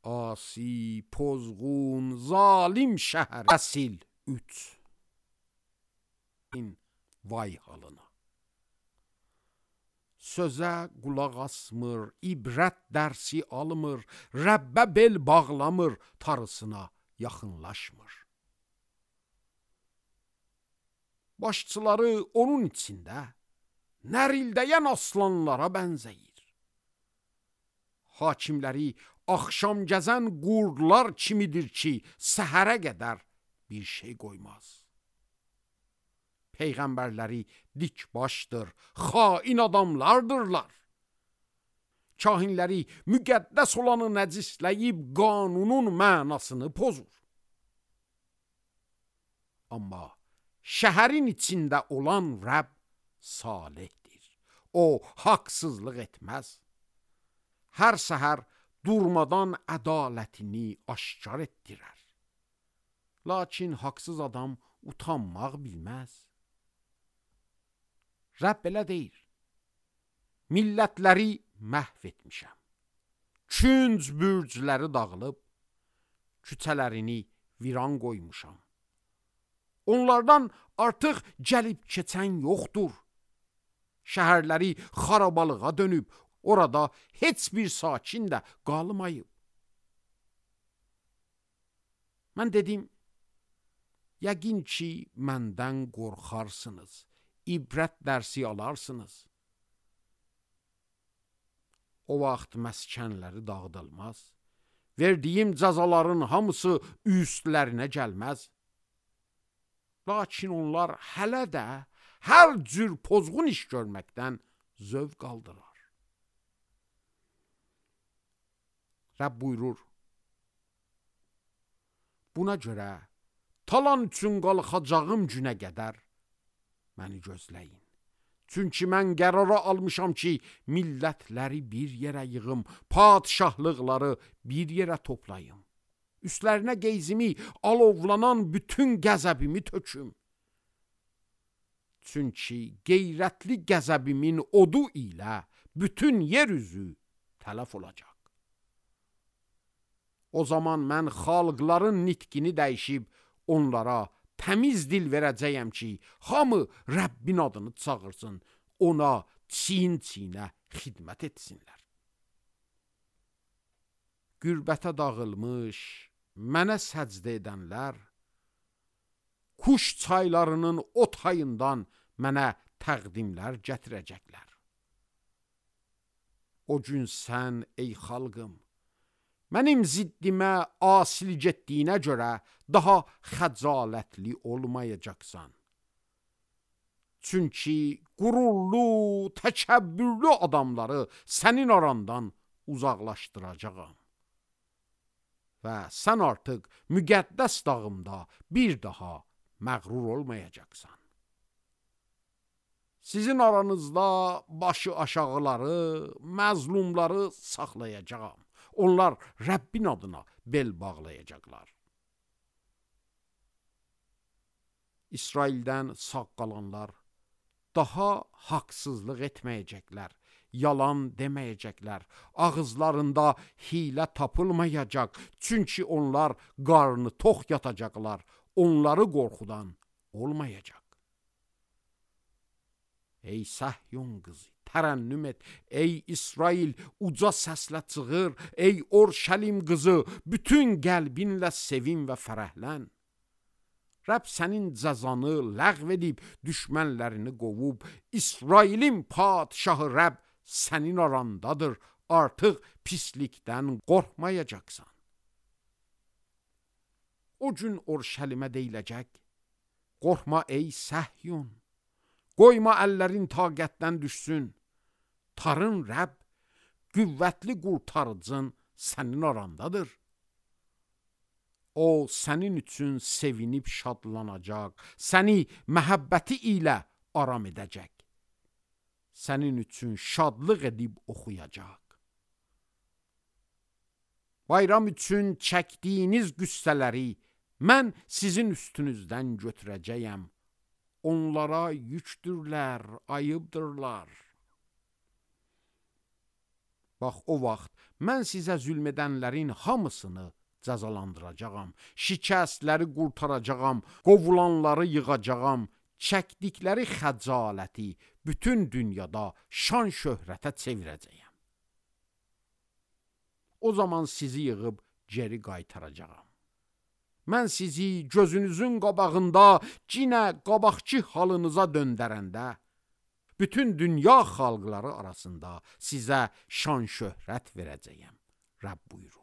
asi, pozğun, zalim şəhər. Əsil 3. Vay halına. Sözə qulaq asmır, ibrət dərsi almır, Rəbbə bel bağlamır, tarısına yaxınlaşmır. Başçıları onun içində nərildəyən aslanlara bənzəyir. Hakimləri axşam gəzən qurdlar kimidir ki, səhərə qədər bir şey qoymaz. Peyğəmbərləri dik başdır, xain adamlardırlar. Kahinləri müqəddəs olanı nəcisləyib qanunun mənasını pozur. Amma şəhərin içində olan Rəbb salihdir. O, haqsızlıq etməz. Hər səhər durmadan ədalətini aşkar etdirər. Lakin haqsız adam utanmaq bilməz. Rəbb belə deyir: millətləri məhv etmişəm. Künc bürcləri dağılıb, küçələrini viran qoymuşam. Onlardan artıq gəlib keçən yoxdur. Şəhərləri xarabalığa dönüb, orada heç bir sakin də qalmayıb. Mən dedim, yəqin ki, məndən qorxarsınız, ibrət dərsi alarsınız. O vaxt məskənləri dağıdılmaz, verdiyim cəzaların hamısı üstlərinə gəlməz. Lakin onlar hələ də hər cür pozğun iş görməkdən zövq aldılar. Rəbb buyurur: buna görə talan üçün qalxacağım günə qədər məni gözləyin. Çünki mən qərara almışam ki, millətləri bir yerə yığım, padişahlıqları bir yerə toplayım. Üstlərinə qeyzimi, alovlanan bütün qəzəbimi töküm. Çünki qeyrətli qəzəbimin odu ilə bütün yer üzü tələf olacaq. O zaman mən xalqların nitqini dəyişib onlara təmiz dil verəcəyəm ki, hamı Rəbbin adını çağırsın, ona çiyin-çiyinə xidmət etsinlər. Qürbətə dağılmış, mənə səcdə edənlər, kuş çaylarının o tayından mənə təqdimlər gətirəcəklər. O gün sən, ey xalqım, mənim ziddimə asilik etdiyinə görə daha xəcalətli olmayacaqsan. Çünki qürurlu, təkəbbürlü adamları sənin arandan uzaqlaşdıracağam. Və sən artıq müqəddəs dağımda bir daha məğrur olmayacaqsan. Sizin aranızda başı aşağıları, məzlumları saxlayacağam. Onlar Rəbbin adına bel bağlayacaqlar. İsraildən sağ qalanlar daha haqsızlıq etməyəcəklər, yalan deməyəcəklər, ağızlarında hilə tapılmayacaq. Çünki onlar qarnı tox yatacaqlar, onları qorxudan olmayacaq. Ey Səhyun qızı, tərənnüm et, ey İsrail, uca səslə çığır, ey Orşəlim qızı, bütün qəlbinlə sevin və fərəhlən. Rəbb sənin cəzanı ləğv edib, düşmənlərini qovub, İsrailin padişahı Rəbb sənin arandadır, artıq pislikdən qorxmayacaqsan. O gün Orşəlimə deyiləcək: qorxma ey Səhyun, qoyma əllərin taqətdən düşsün. Tarın Rəbb, qüvvətli qurtarıcın sənin arandadır. O sənin üçün sevinib şadlanacaq, səni məhəbbəti ilə aram edəcək. Sənin üçün şadlıq edib oxuyacaq. Bayram üçün çəkdiyiniz qüssələri mən sizin üstünüzdən götürəcəyəm. Onlara yükdürlər, ayıbdırlar. Bax, o vaxt mən sizə zülm edənlərin hamısını cəzalandıracağam, şikəstləri qurtaracağam, qovulanları yığacağam, çəkdikləri xəcaləti bütün dünyada şan şöhrətə çevirəcəyəm. O zaman sizi yığıb geri qaytaracağam. Mən sizi gözünüzün qabağında cinə qabaqçı halınıza döndərəndə, bütün dünya xalqları arasında sizə şan şöhrət verəcəyəm. Rəbb buyurur.